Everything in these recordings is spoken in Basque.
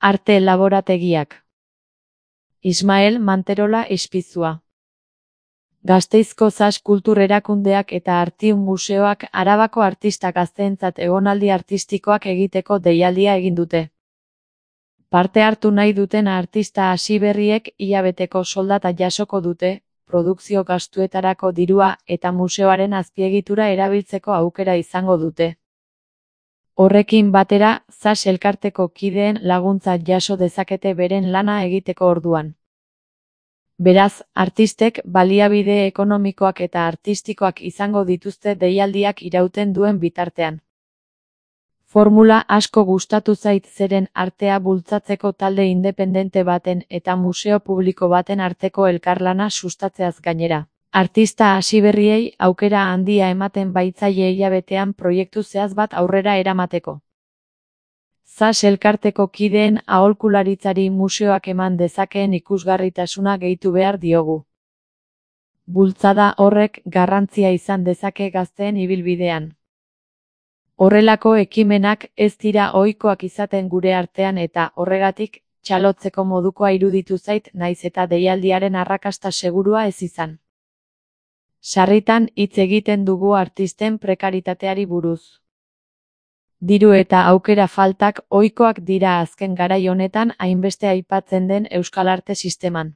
Arte laborategiak. Ismael Manterola Ispizua. Gasteizko Zas Kultur Erakundeak eta Artium Museoak Arabako artista gazteentzat egonaldi artistikoak egiteko deialdia egin dute. Parte hartu nahi duten artista hasiberriek hilabeteko soldata jasoko dute, produkzio gastuetarako dirua eta museoaren azpiegitura erabiltzeko aukera izango dute. Horrekin batera, Zas elkarteko kideen laguntza jaso dezakete beren lana egiteko orduan. Beraz, artistek baliabide ekonomikoak eta artistikoak izango dituzte deialdiak irauten duen bitartean. Formula asko gustatu zait zeren artea bultzatzeko talde independente baten eta museo publiko baten arteko elkarlana sustatzeaz gainera. Artista hasiberriei aukera handia ematen baitzaie hilabetean proiektu zehatz bat aurrera eramateko. Zas elkarteko kideen aholkularitzari museoak eman dezakeen ikusgarritasuna gehitu behar diogu. Bultzada horrek garrantzia izan dezake gazteen ibilbidean. Horrelako ekimenak ez dira ohikoak izaten gure artean eta horregatik txalotzeko modukoa iruditu zait naiz eta deialdiaren arrakasta segurua ez izan. Sarritan hitz egiten dugu artisten prekaritateari buruz. Diru eta aukera faltak ohikoak dira azken garai honetan hainbeste aipatzen den euskal arte sisteman.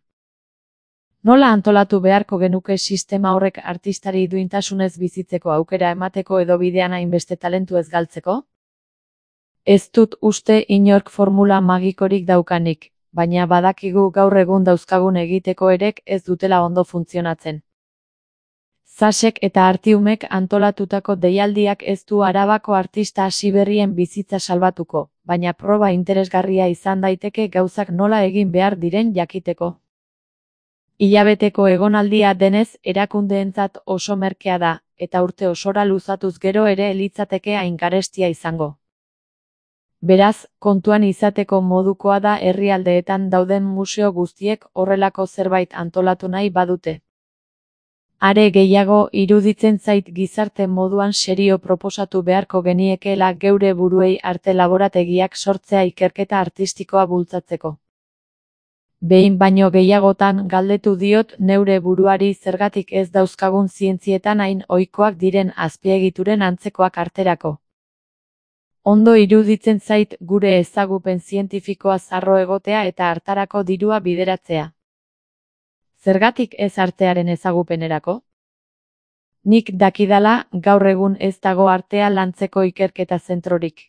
Nola antolatu beharko genuke sistema horrek artistari duintasunez bizitzeko aukera emateko edo bidean hainbeste talentu ez galtzeko? Ez dut uste inork formula magikorik daukanik, baina badakigu gaur egun dauzkagun egiteko erek ez dutela ondo funtzionatzen. Zasek eta Artiumek antolatutako deialdiak ez du Arabako artista hasiberrien bizitza salbatuko, baina proba interesgarria izan daiteke gauzak nola egin behar diren jakiteko. Hilabeteko egonaldia denez erakundeentzat oso merkea da, eta urte osora luzatuz gero ere litzateke hain garestia izango. Beraz, kontuan izateko modukoa da herrialdeetan dauden museo guztiek horrelako zerbait antolatu nahi badute. Are gehiago iruditzen zait gizarte moduan serio proposatu beharko geniekeela geure buruei arte laborategiak sortzea ikerketa artistikoa bultzatzeko. Behin baino gehiagotan galdetu diot neure buruari zergatik ez dauzkagun zientzietan hain ohikoak diren azpiegituren antzekoak arterako. Ondo iruditzen zait gure ezagupen zientifikoa zarro egotea eta hartarako dirua bideratzea. Zergatik ez artearen ezagupenerako? Nik dakidala gaur egun ez dago artea lantzeko ikerketa zentrorik.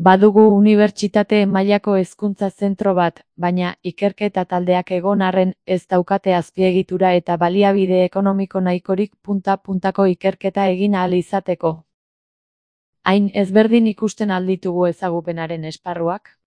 Badugu unibertsitate mailako hezkuntza zentro bat, baina ikerketa taldeak egon arren ez daukate azpiegitura eta baliabide ekonomiko nahikorik punta-puntako ikerketa egin ahal izateko. Hain ezberdin ikusten alditugu ezagupenaren esparruak?